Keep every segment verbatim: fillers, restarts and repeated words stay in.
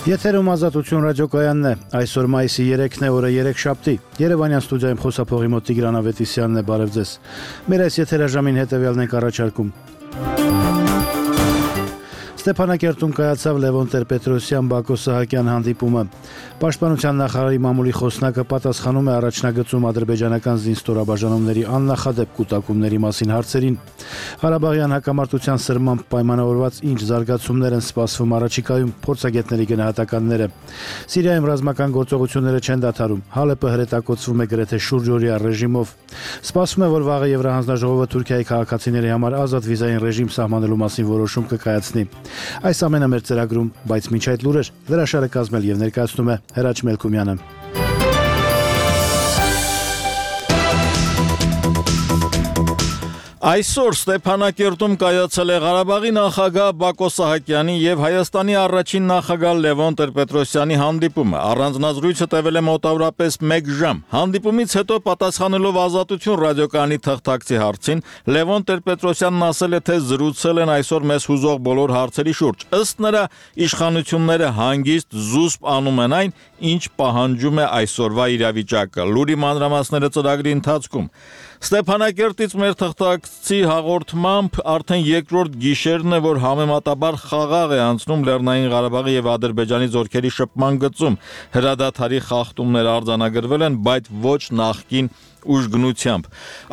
Եթերում Ազատություն ռադիոկայանն է, այսօր մայիսի երեքն է, օրը երեքշաբթի, Երևանյան ստուդիայում խոսափողի մոտ Տիգրան Ավետիսյանն է, բարև ձեզ, մեր այս եթերաժամին հետևյալն ենք առաջարկում. Ստեփանակերտում կայացավ Լևոն Տեր-Պետրոսյան Բակո Սահակյան հանդիպումը. Պաշտպանության նախարարի մամուլի խոսնակը պատասխանում է առաջնագծում ադրբեջանական զինստորաբաժանումների աննախադեպ կուտակումների մասին հարցերին. Ղարաբաղյան հակամարտության սրմամբ պայմանավորված ինչ զարգացումներ են սպասվում առաջիկայում, փորձագետների գնահատականները. Սիրիայում ռազմական գործողությունները չեն դադարում, Հալեպը հրետակոծվում է գրեթե շուրջօրյա ռեժիմով. Սպասվում է, որ վաղը Եվրահանձնաժողովը Թուրքիայի քաղաքացիների համար ազատ վիզային ռեժիմ սահմանելու մասին որոշում կկայացնի. Այս ամենը մեր ծրագրում, բայց մինչ այդ լուրեր հրաշալը կազմել եւ ներկայացնում է Հրաչ Մելքումյանը. Այսօր Ստեփանակերտում կայացել է Ղարաբաղի նախագահ Բակո Սահակյանի եւ Հայաստանի առաջին նախագահ Լևոն Տեր-Պետրոսյանի հանդիպումը։ Առանձնազրույցը տևել է մոտավորապես մեկ ժամ։ Հանդիպումից հետո պատասխանելով Ազատություն ռադիոկայանի թղթակցի հարցին, Լևոն Տեր-Պետրոսյանն ասել է, թե զրուցել են այսօր մեզ հուզող բոլոր հարցերի շուրջ։ Ըստ նրա, իշխանությունները հանգիստ զուսպ անում են այն, ինչ պահանջում է այսօրվա իրավիճակը։ Լուրի մանրամասները ծրագրի ընթացքում։ Ստեփանակերտից մեր թղթակցի հաղորդմամբ արդեն երկրորդ գիշերն է, որ համեմատաբար խաղաղ է անցնում Լեռնային Ղարաբաղի եւ Ադրբեջանի զորքերի շփման գծում։ Հրադադարի խախտումներ արձանագրվել են, բայց ոչ նախկին ուժգնությամբ։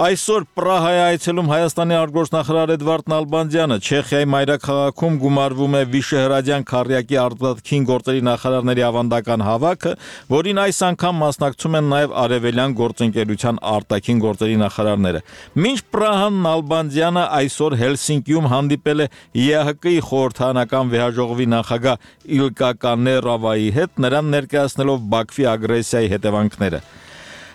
Այսօր Պրահայի այցելում Հայաստանի արտգործնախարար Էդվարդ Նալբանդյանը, Չեխիայի մայրաքաղաքում գումարվում է Վիշեհրադյան քառյակի արտաքին գործերի նախարարների ավանդական հավաքը, որին այս անգամ մասնակցում են նաև Արևելյան գործընկերության արտաքին գործերի նախարարները։ Մինչ Պրահան Նալբանդյանը այսօր Հելսինկիում հանդիպել է ԵԱՀԿ-ի խորհրդարանական վեհաժողովի նախագահ Իլկա Կաներավայի հետ, նրան ներկայացնելով Բաքվի ագրեսիայի հետևանքները։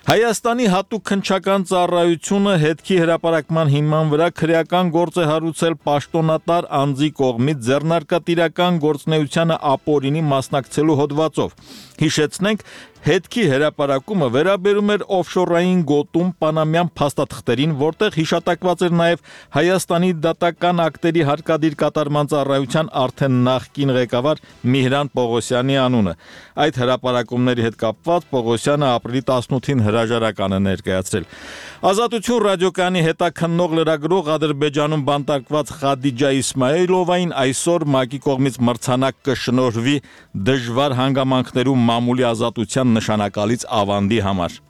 Հայաստանի հատուկ քննչական ծառայությունը հետքի հրապարակման հիման վրա քրեական գործ է հարուցել պաշտոնատար անձի կողմից ձեռնարկատիրական գործունեությանը ապօրինի մասնակցելու հոդվածով։ Հիշեցնենք, հետքի հրապարակումը վերաբերում էր օֆշորային գոտում պանամյան փաստաթղթերին, որտեղ հիշատակված էր նաև Հայաստանի դատական ակտերի հարկադիր կատարման ծառայության արդեն նախկին ղեկավար Միհրան Պողոսյանի անունը։ Այդ հրապարակումների հետ կապված Պողոսյանը ապրիլի տասնութին հրաժարական է ներկայացրել։ Ազատություն ռադիոկայանի հետաքննող լրագրող Ադրբեջանում բանտարկված Խադիջա Իսմայիլովային այսօր ՄԱԿ-ի կողմից մրցանակ կշնորհվի դժվար հանգամանքներում մամուլի ազատության նշանակալից ավանդի համար։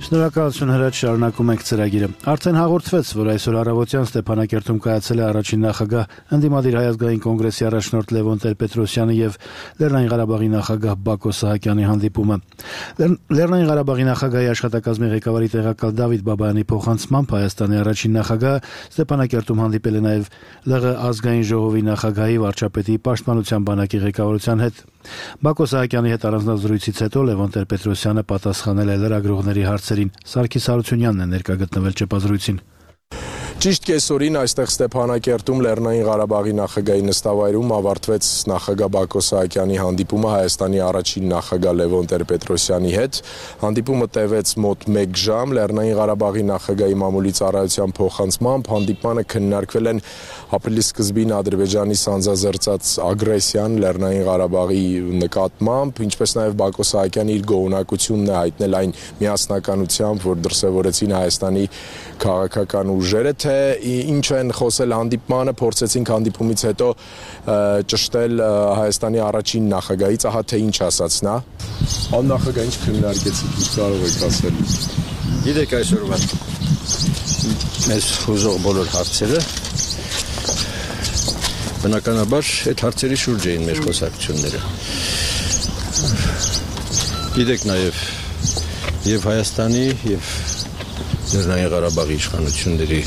Շնորհակալություն Հրաչ, շարունակում ենք ծրագիրը։ Արդեն հաղորդվեց, որ այսօր առավոտյան Ստեփանակերտում կայացել է առաջին նախագահ ընդդիմադիր Հայ ազգային կոնգրեսի առաջնորդ Լևոն Տեր-Պետրոսյանի եւ Լեռնային Ղարաբաղի նախագահ Բակո Սահակյանի հանդիպումը։ Լեռնային Ղարաբաղի նախագահի աշխատակազմի ղեկավարի տեղակալ Դավիթ Բաբայանի փոխանցմամբ Հայաստանի առաջին նախագահը Ստեփանակերտում հանդիպել է նաեւ ԼՂ ազգային ժողովի նախագահի, վարչապետի, պաշտպանության բանակի ղեկավարության հետ։ Բակո Սահակյանի հետ առանձնազրույցից հետո Լևոն Տեր-Պետրոսյանը պատասխանել է լրագրողների հարցերին։ Սարգիս Հարությունյանն է ներկա գտնվել ճեպազրույցին։ Ճիշտ կեսօրին այստեղ Ստեփանակերտում Լեռնային Ղարաբաղի նախագահի նստավայրում ավարտվեց նախագահ Բակո Սահակյանի հանդիպումը Հայաստանի առաջին նախագահ Լևոն Տեր-Պետրոսյանի հետ։ Հանդիպումը տևեց մոտ մեկ ժամ։ Լեռնային Ղարաբաղի նախագահի մամուլի ծառայության փոխանցմամբ հանդիպմանը քննարկվել են ապրիլի սկզբին Ադրբեջանի սանձազերծած ագրեսիան Լեռնային Ղարաբաղի նկատմամբ, ինչպես նաև Բակո Սահակյանը իր գոհունակությունն է հայտնել այն միասնականությամբ, որ դրսևորեցին Հայաստանի քաղաքական ուժերը, թե ինչ են խոսել հանդիպմանը, փորձեցինք հանդիպումից հետո ճշտել Հայաստանի առաջին նախագահից, ահա թե ինչ ասաց նա։ Աննախագահ ինչ քննարկեցիք, ինչ կարող եք ասել։ Գիտեք, այսօրվա մեզ հուզող բոլոր հարցերը բնականաբար այդ հարցերի շուրջ էին մեր խոսակցությունները։ Գիտեք նաև եւ Հայաստանի եւ Լեռնային Ղարաբաղի իշխանությունների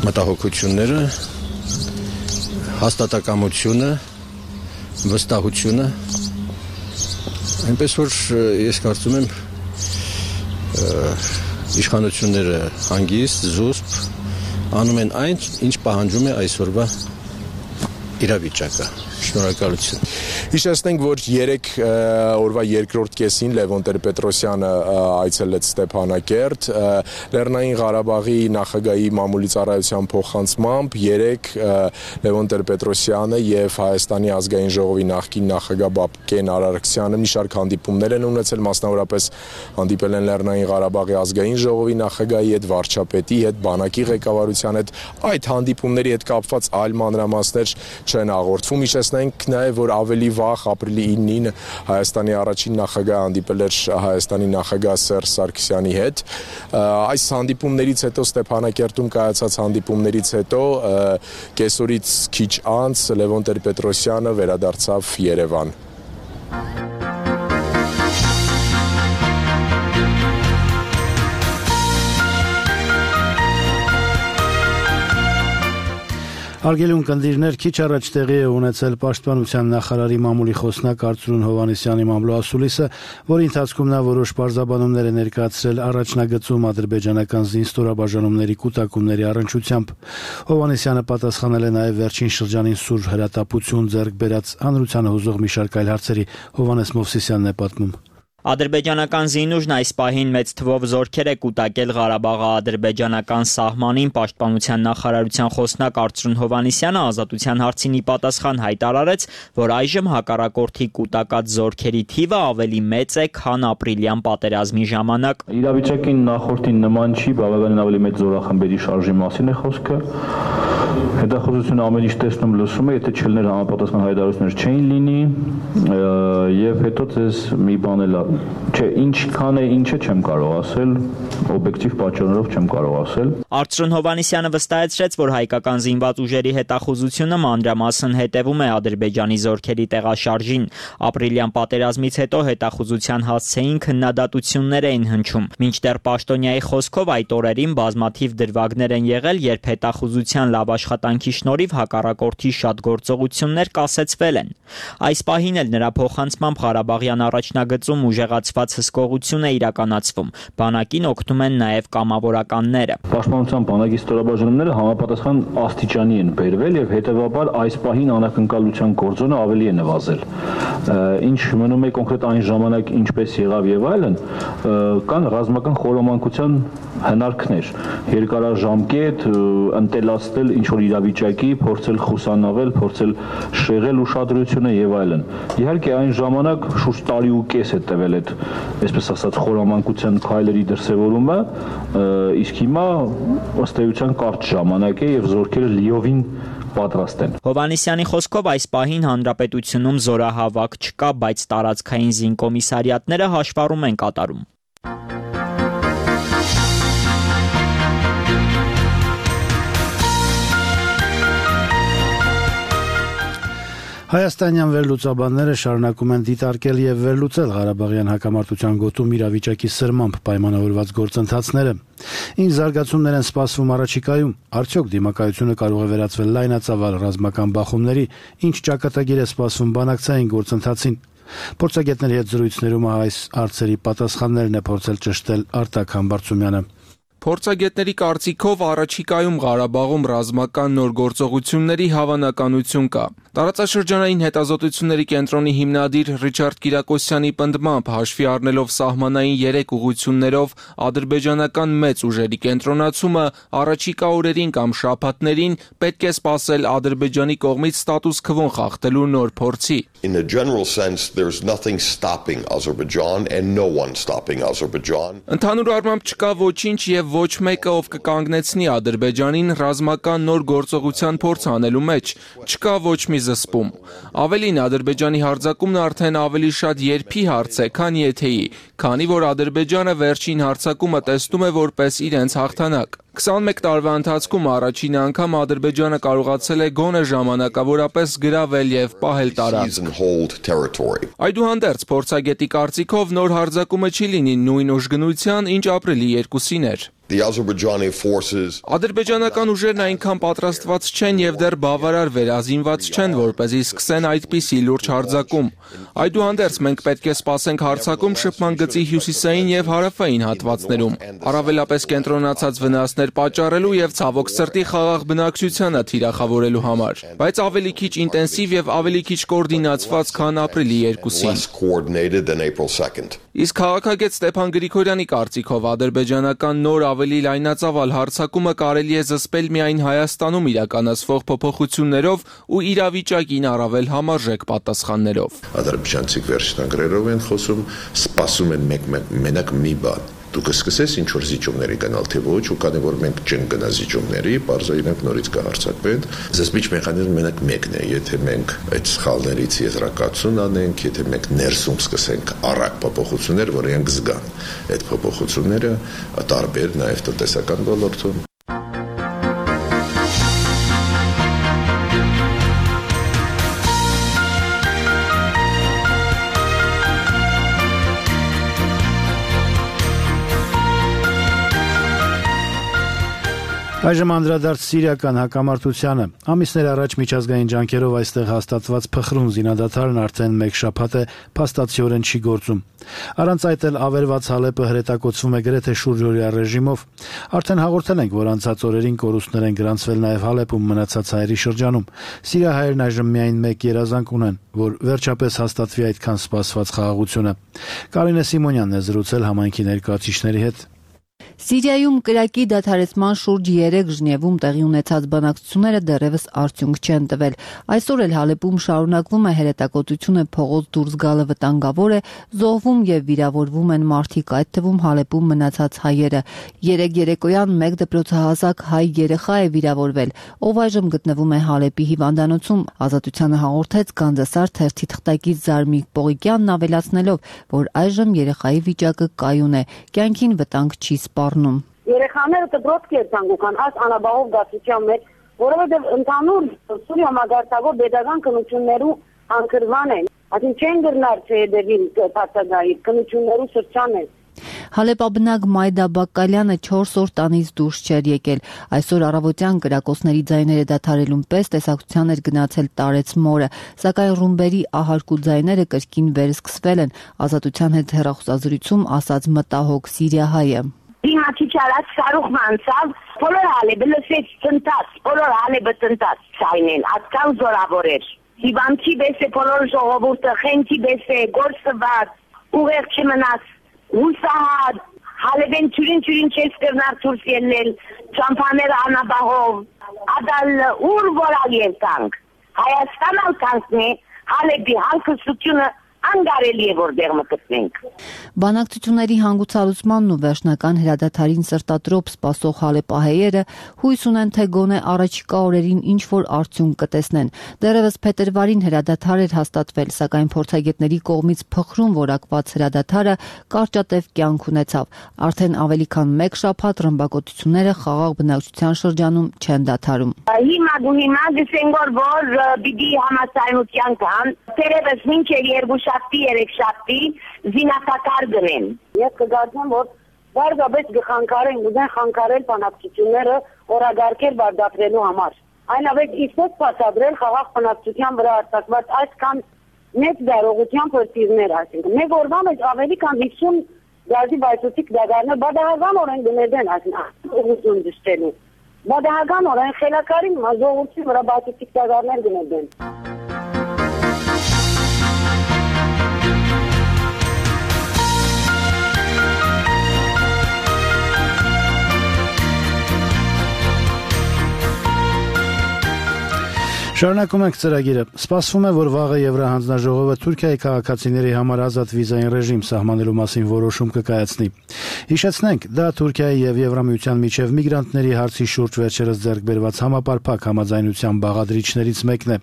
մտահոգությունները, հաստատակամությունը, վստահությունը, այնպես որ ես կարծում եմ իշխանությունները հանգիստ, զուսպ անում են այն, ինչ պահանջում է այսօրվա իրավիճակը։ Շնորհակալություն։ Հիշեցնենք, որ երեք օրվա երկրորդ կեսին Լևոն Տեր-Պետրոսյանը այցելեց Ստեփանակերտ, Լեռնային Ղարաբաղի նախագահի մամուլի ծառայության փոխանցմամբ երեք Լևոն Տեր-Պետրոսյանը եւ Հայաստանի ազգային ժողովի նախկին նախագահ Բաբկեն Արարքցյանը մի շարք հանդիպումներ են ունեցել, մասնավորապես հանդիպել են Լեռնային Ղարաբաղի ազգային ժողովի նախագահի հետ, վարչապետի հետ, բանակի ղեկավարության հետ, այդ հանդիպումների հետ կապված այլ մանրամասներ չեն հաղորդվում։ Հիշեցնենք նաեւ, որ ավելի վաղ ապրիլի իննին Հայաստանի առաջին նախագահը հանդիպել էր Հայաստանի նախագահ Սերժ Սարգսյանի հետ։ Այս հանդիպումներից հետո Ստեփանակերտում կայացած հանդիպումներից հետո կեսօրից քիչ անց Լևոն Տեր-Պետրոսյանը վերադարձավ Երևան։ Արգելուն կնդիրներ քիչ առաջ տեղի է ունեցել Պաշտպանության նախարարի մամուլի խոսնակ Արծրուն Հովհաննիսյանի մամլոասուլիսը, որի ընթացքում նա որոշ պարզաբանումներ է ներկայացրել առաջնագծում ադրբեջանական զինստորաբաժանումների կուտակումների առնչությամբ։ Հովհաննիսյանը պատասխանել է նաև վերջին շրջանին սուր հրատապություն ձեռք բերած հանրությանը հուզող մի շարք այլ հարցերի։ Հովհաննես Մովսիսյանն է պատմում։ Ադրբեջանական զինուժն այս պահին մեծ թվով զորքեր է կուտակել Ղարաբաղի ադրբեջանական սահմանին։ Պաշտպանության նախարարության խոսնակ Արծրուն Հովհաննիսյանը ազատության հարցին ի պատասխան հայտարարեց, որ այժմ հակառակորդի կուտակած զորքերի թիվը ավելի մեծ է, քան ապրիլյան պատերազմի ժամանակ։ Իրավիճակին նախորդին նման չի, բավականին ավելի մեծ զորախմբերի շարժի մասին է խոսքը։ Հետախուզությունը ամեն ինչ տեսնում լսում է, եթե չլներ համապատասխան հայտարարություններ չէին լինի, եւ հետո ձեզ մի բան էլ չէ, ինչքան է, ինչը չեմ կարող ասել, օբյեկտիվ պատճառներով չեմ կարող ասել։ Արծրուն Հովհաննիսյանը վստահեցրեց, որ հայկական զինված ուժերի հետախուզությունը մանրամասն հետևում է Ադրբեջանի զորքերի տեղաշարժին։ Ապրիլյան պատերազմից հետո հետախուզության հասցեին քննադատություններ էին հնչում։ Մինչդեռ Պաշտոնյայի խոսքով այդ օրերին բազմաթիվ դրվագներ են եղել, երբ հետախուզության լավ աշխատանքի շնորհիվ հակառակորդի շատ գործողություններ կասեցվել են։ Այս պահին էլ նրա փոխանցմամբ Ղարաբաղյան առաջնագծում ուժեղացված հսկողություն է իրականացվում։ Բանակին օգնում են նաև կամավորականները։ Պաշտպանության բանակի ստորաբաժանումները համապատասխան աստիճանի են բերվել եւ հետեւաբար այս պահին անակնկալության գործոնը ավելի է նվազել։ Ինչ մնում է կոնկրետ այն ժամանակ ինչպես եղավ եւ այլն, կան ռազմական խորոմանկության հնարքներ, երկարաժամկետ ընտելացնել ինչ որ իրավիճակի, փորձել խուսանավել, փորձել շեղել ուշադրությունը եւ այլն։ Իհարկե այն ժամանակ շուրջ տարի ու կես է տևել այդ, այսպես ասած, խորոմանկության քայլերի դրսևորումը, իսկ հիմա ըստ էության կարճ ժամանակ է եւ զորքերը լիովին պատրաստ են։ Հովհաննիսյանի խոսքով այս պահին հանրապետությունում զորահավաք չկա, բայց տարածքային զինկոմիսարիատները հաշվառում են կատարում։ Հայաստանյան վերլուծաբանները շարունակում են դիտարկել եւ վերլուծել Ղարաբաղյան հակամարտության գոտում իրավիճակի սրմամբ պայմանավորված գործընթացները։ Ինչ զարգացումներ են սպասվում առաջիկայում, արդյոք դիմակայությունը կարող է վերածվել լայնածավալ ռազմական բախումների, ինչ ճակատագիր է սպասվում բանակցային գործընթացին։ Փորձագետների հետ զրույցներում այս հարցերի պատասխաններն է փորձել ճշտել Արտակ Համբարձումյանը։ Փորձագետների կարծիքով առաջիկայում Ղարաբաղում ռազմական նոր գործողությունների հավանականություն կա։ Տարածաշրջանային հետազոտությունների կենտրոնի հիմնադիր Ռիչարդ Կիրակոսյանի պնդմամբ հաշվի առնելով սահմանային երեք ուղղություններով ադրբեջանական մեծ ուժերի կենտրոնացումը առաջիկա օրերին կամ շաբաթներին պետք է սպասել Ադրբեջանի կողմից ստատուս քվոն խախտելու նոր փորձի։ In a general sense, there's nothing stopping Azerbaijan and no one stopping Azerbaijan. Ընդհանուր առմամբ չկա ոչինչ եւ ոչ մեկը, ով կկանգնեցնի Ադրբեջանին ռազմական նոր գործողության փորձ անելու մեջ, չկա ոչ մի զսպում։ Ավելին, Ադրբեջանի հարձակումն արդեն ավելի շատ երբի հարց է, քան եթեի, քանի որ Ադրբեջանը վերջին հարձակումը տեսնում է որպես իրենց հաղթանակ։ քսանմեկ տարվա ընթացքում առաջին անգամ Ադրբեջանը կարողացել է գոնե ժամանակավորապես գրավել եւ պահել տարածք։ Այդուհանդերձ, փորձագետի կարծիքով նոր հարձակումը չի լինի նույն ուժգնության, ինչ ապրիլի երկուսին էր։ Ադրբեջանական ուժերն այնքան պատրաստված չեն եւ դեռ բավարար վերազինված չեն, որպեսզի սկսեն այդպիսի լուրջ հարձակում։ Այդուհանդերձ, մենք պետք է սպասենք հարձակում շփման գծի հյուսիսային եւ հարավային հատվածներում։ Առավելապես կենտրոնացած վնասներ վնասներ պատճառելու եւ ցավոք սրտի խաղաղ բնակչությանը թիրախավորելու համար, բայց ավելի քիչ ինտենսիվ եւ ավելի քիչ կոորդինացված, քան ապրիլի երկուսին։ Իսկ քաղաքագետ Ստեփան Գրիգորյանի կարծիքով ադրբեջանական նոր ավելի լայնածավալ հարձակումը կարելի է զսպել միայն Հայաստանում իրականացվող փոփոխություններով ու իրավիճակին առավել համարժեք պատասխաններով։ Ադրբեջանցիք վերջնագրերով են խոսում, սպասում են մենակ մի բան։ Դուք սկսես ինչ որ զիջումների գնալ թե ոչ, ու քանի որ մենք չենք գնա զիջումների, բարձր իրենք նորից կհարցակվեն։ Զսպիչ մեխանիզմը մենակ մեկն է, եթե մենք այդ սխալներից եզրակացություն անենք, եթե մենք ներսում սկսենք առակ փոփոխություններ, որ իրենք զգան այդ փոփոխությունները տարբեր նաև տնտեսական ոլորտում։ Այժմ անդրադարձ սիրիական հակամարտությանը։ Ամիսներ առաջ միջազգային ջանքերով այստեղ հաստատված փխրուն զինադադարն արդեն մեկ շաբաթ է փաստացիորեն չի գործում։ Առանց այդ էլ ավերված Հալեպը հրետակոծվում է գրեթե շուրջօրյա ռեժիմով։ Արդեն հաղորդել ենք, որ անցած օրերին կորուստներ են գրանցվել նաև Հալեպում մնացած հայերի շրջանում։ Սիրիահայերն այժմ միայն մեկ երազանք ունեն, որ վերջապես հաստատվի այդքան սպասված խաղաղությունը։ Կարինե Սիմոնյանն է զրուցել համայնքի ներկայացուցիչների հետ։ Սիրիայում կրակի դադարեցման շուրջ երեք Ժնևում տեղի ունեցած բանակցությունները դեռևս արդյունք չեն տվել։ Այսօր էլ Հալեպում շարունակվում է հրետակոծությունը, փողոց դուրս գալը վտանգավոր է, զոհվում եւ վիրավորվում են մարդիկ, այդ թվում Հալեպում մնացած հայերը։ Երեք երեկոյան մեկ դպրոցահասակ հայ երեխա է վիրավորվել, ով այժմ գտնվում է Հալեպի հիվանդանոցում։ Ազատությանը հաղորդեց Գանձասար թերթի թղթակից Զարմիկ Պողիկյանն, ավելացնելով, որ այժմ երեխայի վիճակը կայուն է, կյանքին վտանգ չի սպառնում։ Երեխաները դպրոց կերտանգուքան այս անաբաղով դասության մեջ, որովհետև ընդհանուր Սուրիա համագարտակով pedagogan քննություններու անկրման են, այսինքն չեն գրնար չհետևին բացակայի քննություններու շրջան են։ Հալեպաբնակ Մայդա Բակալյանը չորս օր տանից դուրս չէր եկել։ Այսօր առավոտյան կրակոցների ձայները դադարելուն պես տեսակցության էր գնացել տարեց մորը, սակայն ռումբերի ահարկ ու ձայները կրկին վերսկսվել են, Ազատության հետ հեռախոսազրույցում ասաց մտահոգ սիրիահայը։ Հիմա չիչարած սարուխ մանցավ, բոլոր Հալեպը լսեց տնտած, բոլոր Հալեպը տնտած ցայնեն, ատկան զորավոր էր։ Հիվանդի պես է բոլոր ժողովուրդը, խենքի պես է, գործված, ուղեղ չմնաց, հուսահատ, Հալեպեն չուրին-չուրին չես կրնար դուրս ելնել, ճամփաները անաբաղով, ադալ ուր որալ երտանք, Հայաստան ալ կանքն է, Հալեպի հալքստությունը անգարելի է որտեղ մտցնենք։ Բանակցությունների հանգուցալուծմանն ու վերջնական հրադադարին սրտատրոփ սպասող հալեպահայերը հույս ունեն, թե գոնե առաջիկա օրերին ինչ որ արդյունք կտեսնեն։ Դեռևս փետրվարին հրադադար էր հաստատվել, սակայն փորձագետների կողմից փխրուն որակված հրադադարը կարճատև կյանք ունեցավ։ Արդեն ավելի քան մեկ շաբաթ ռմբակոծությունները խաղաղ բնակչության շրջանում չեն դադարում։ Հիմա դու հիմա դեսենք որ պիտի համաձայնության կան, դեռևս մինչև երկու շաբթի, երեք շաբթի զինատակար գնեն։ Ես կգործեմ, որ բարձրապես գխանկարեն, ուզեն խանկարել բանակցությունները օրագարկել բարդապրելու համար։ Այնավետ իսկոս բացադրել խաղաղ բնակչության վրա արտակված այսքան մեծ դարողության պրտիվներ, այսինքն մեկ օրվա մեջ ավելի քան հիսուն գազի բայցուցիկ դագարներ բադահական օրեն գնեդեն, այսինքն ուղղություն դստելու։ Բադահական օրեն խելակարին մազողություն վրա բայցուցիկ դագարներ գնեդեն։ Շարունակում ենք ծրագիրը։ Սպասվում է, որ վաղը Եվրահանձնաժողովը Թուրքիայի քաղաքացիների համար ազատ վիզային ռեժիմ սահմանելու մասին որոշում կկայացնի։ Հիշեցնենք, դա Թուրքիայի եւ Եվրամիության միջև միգրանտների հարցի շուրջ վերջերս ձեռք բերված համապարփակ համաձայնության բաղադրիչներից մեկն է։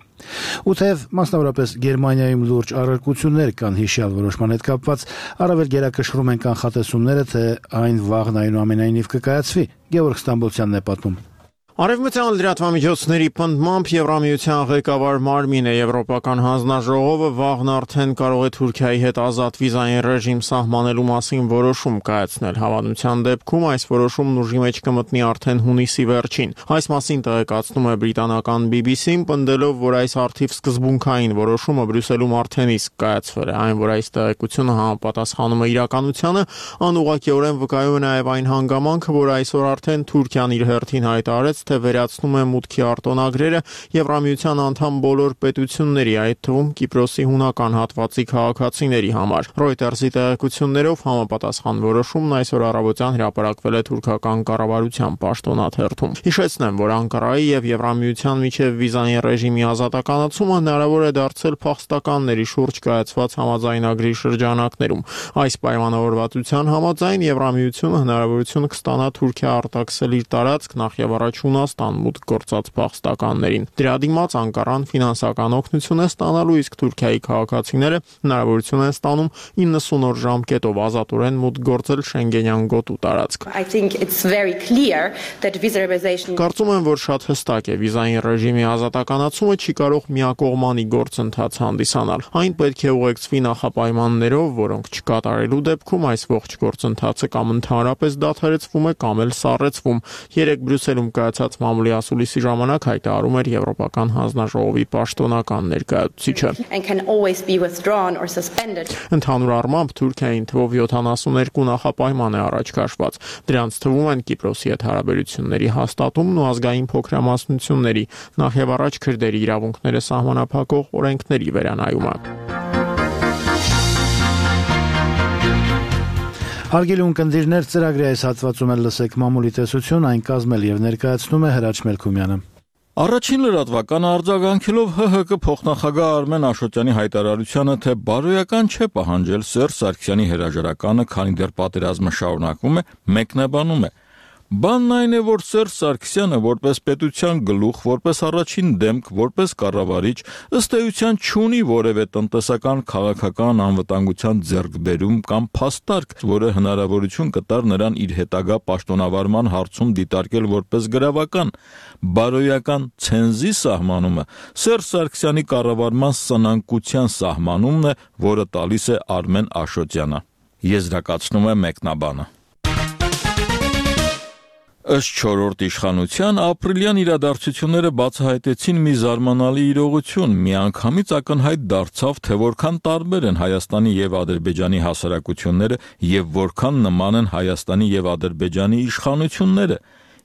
Ու թեև մասնավորապես Գերմանիայում լուրջ առարկություններ կան հիշյալ որոշման հետ կապված, առավել գերակշռում են կանխատեսումները, թե այն վաղն այնուամենայնիվ կկայացվի։ Գևորգ Ստամբոլցյանն է պատմում։ Արևմտյան լրատվամիջոցների պնդմամբ Եվրամիության ղեկավար Մարմինը Եվրոպական հանձնաժողովը վաղն արդեն կարող է Թուրքիայի հետ ազատ վիզային ռեժիմ սահմանելու մասին որոշում կայացնել։ Հավանության դեպքում այս որոշումն ուժի մեջ կմտնի արդեն հունիսի վերջին։ Այս մասին տեղեկացնում է բրիտանական B B C-ն, պնդելով, որ այս արդիվ սկզբունքային որոշումը Բրյուսելում արդեն իսկ կայացվել է, այն որ այս տեղեկությունը համապատասխանում է իրականությանը, անուղղակիորեն վկայում է նաև այն հանգամանքը, որ այսօր արդեն Թուրքիան իր հերթին հայտարարեց, թե վերացնում է մուտքի արտոնագրերը Եվրամիության անդամ բոլոր պետությունների, այդ թվում Կիպրոսի հունական հատվածի քաղաքացիների համար։ Reuters-ի տեղեկություններով համապատասխան որոշումն այսօր առավոտյան հրապարակվել է թուրքական կառավարության պաշտոնաթերթում։ Հիշեցնեմ, որ Անկարայի եւ Եվրամիության միջև վիզային ռեժիմի ազատականացումը հնարավոր է դարձել փախստականների շուրջ կայացված համաձայնագրի շրջանակներում։ Այս պայմանավորվածության համաձայն Եվրամիությունը հնարավորություն կստանա Թուրքիա արտաքսել իր տարածք նախ եւ առաջ Հունաստան մուտք գործած փախստականներին։ Դրա դիմաց Անկարան ֆինանսական օգնություն է ստանալու, իսկ Թուրքիայի քաղաքացիները հնարավորություն են ստանում իննսուն օր ժամկետով ազատորեն մուտք գործել Շենգենյան գոտու տարածք։ Կարծում եմ, որ շատ հստակ է, վիզային ռեժիմի ազատականացումը չի կարող միակողմանի գործընթաց հանդիսանալ։ Այն պետք է ուղեկցվի նախապայմաններով, որոնք չկատարելու դեպքում այս ողջ գործընթացը կամ ընդհանրապես դադարեցվում է, կամ էլ սառեցվում։ Երեք Բրյուսելում կայացած մամուլի ասուլիսի ժամանակ հայտարարում էր Եվրոպական հանձնաժողովի պաշտոնական ներկայացուցիչը։ Ընդհանուր առմամբ Թուրքիային թվով յոթանասուներկու նախապայման է առաջ քաշված։ Դրանց թվում են Կիպրոսի հետ հարաբերությունների հաստատումն ու ազգային փոքրամասնությունների, նախ եւ առաջ քրդերի իրավունքները սահմանափակող օրենքների վերանայումը։ Հարգելի ունկնդիրներ, ծրագրի այս հատվածում էլ լսեք մամուլի տեսություն, այն կազմել եւ ներկայացնում է Հրաչ Մելքումյանը։ Առաջին լրատվականը արձագանքելով H H K փոխնախագահ Արմեն Աշոտյանի հայտարարությանը, թե բարոյական չէ պահանջել Սերժ Սարգսյանի հրաժարականը, քանի դեռ պատերազմը շարունակվում է, մեկնաբանում է. Բանն այն է, որ Սերժ Սարգսյանը որպես պետության գլուխ, որպես առաջին դեմք, որպես կառավարիչ, ըստ էության չունի որևէ տնտեսական քաղաքական անվտանգության ձեռքբերում կամ փաստարկ, որը հնարավորություն կտար նրան իր հետագա պաշտոնավարման հարցում դիտարկել որպես գրավական։ Բարոյական ցենզի սահմանումը Սերժ Սարգսյանի կառավարման սնանկության սահմանումն է, որը տալիս է Արմեն Աշոտյանը։ Եզրակացնում է մեկնաբանը։ Ըստ չորրորդ իշխանության ապրիլյան իրադարձությունները բացահայտեցին մի զարմանալի իրողություն, միանգամից ակնհայտ դարձավ, թե որքան տարբեր են Հայաստանի եւ Ադրբեջանի հասարակությունները եւ որքան նման են Հայաստանի եւ Ադրբեջանի իշխանությունները։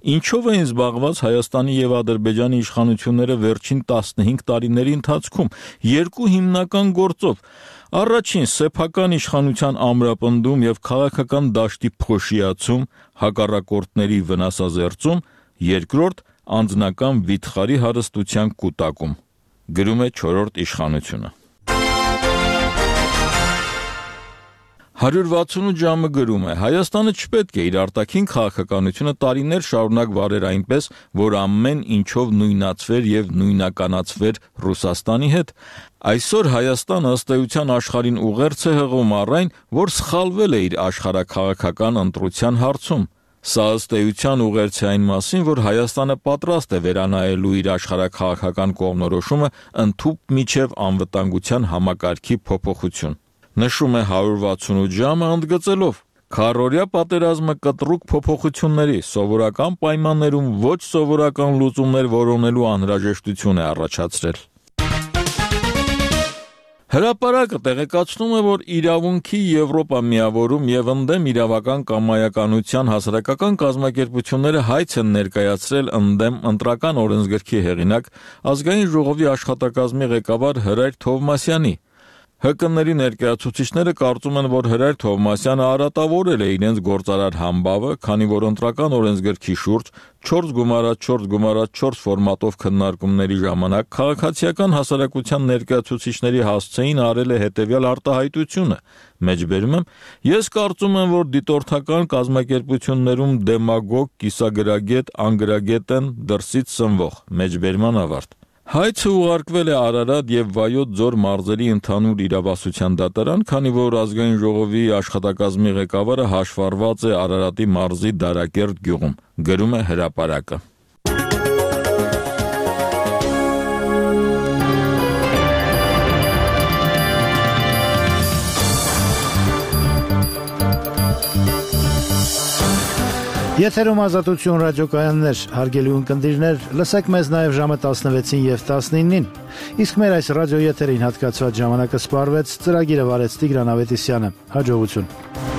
Ինչով էին զբաղված Հայաստանի եւ Ադրբեջանի իշխանությունները վերջին տասնհինգ տարիների ընթացքում։ Երկու հիմնական գործով. Առաջին սեփական իշխանության ամրապնդում եւ քաղաքական դաշտի փոշիացում, հակառակորդների վնասազերծում, երկրորդ անձնական վիթխարի հարստության կուտակում։ Գրում է չորրորդ իշխանությունը։ հարյուր վաթսունութ ժամը գրում է. Հայաստանը չպետք է իր արտաքին քաղաքականությունը տարիներ շարունակ վարեր այնպես, որ ամեն ինչով նույնացվեր եւ նույնականացվեր Ռուսաստանի հետ։ Այսօր Հայաստանը ըստ էության աշխարհին ուղերձ է հղում առ այն, որ սխալվել է իր աշխարհաքաղաքական ընտրության հարցում։ Սա ըստ էության ուղերձ է այն մասին, որ Հայաստանը պատրաստ է վերանայելու իր աշխարհաքաղաքական կողմնորոշումը ընդհուպ միջև անվտանգության համակարգի փոփոխություն։ Նշում է հարյուր վաթսունութ ժամը ընդգծելով. Քառօրյա պատերազմը կտրուկ փոփոխությունների, սովորական պայմաններում ոչ սովորական լուծումներ որոնելու անհրաժեշտություն է առաջացրել։ Հրապարակը տեղեկացնում է, որ իրավունքի Եվրոպա միավորում եւ ընդդեմ իրավական կամայականության հասարակական կազմակերպությունները հայց են ներկայացրել ընդդեմ ընտրական օրենսգրքի հեղինակ ազգային ժողովի աշխատակազմի ղեկավար Հրայր Թովմասյանի։ Հ Կ-ների ներկայացուցիչները կարծում են, որ Հրայր Թովմասյանը արատավորել է իրենց գործարար համբավը, քանի որ ընտրական օրենսգրքի շուրջ չորս գումարած չորս գումարած չորս ֆորմատով քննարկումների ժամանակ քաղաքացիական հասարակության ներկայացուցիչների հասցեին արել է հետևյալ արտահայտությունը. Մեջբերում եմ, ես կարծում եմ, որ դիտորդական կազմակերպություններում դեմագոգ, կիսագրագետ, անգրագետ են դրսից սնվող։ Մեջբերման ավարտ։ Հայցը ուղարկվել է Արարատ եւ Վայոց ձոր մարզերի ընդհանուր իրավասության դատարան, քանի որ ազգային ժողովի աշխատակազմի ղեկավարը հաշվառված է Արարատի մարզի Դարակերտ գյուղում, գրում է հրապարակը։ Եթերում Ազատություն ռադիոկայաններ, հարգելի ունկնդիրներ, լսեք մեզ նաև ժամը տասնվեցին եւ տասնինին։ Իսկ մեր այս ռադիոեթերին հատկացված ժամանակը սպառվեց, ծրագիրը վարեց Տիգրան Ավետիսյանը։ Հաջողություն։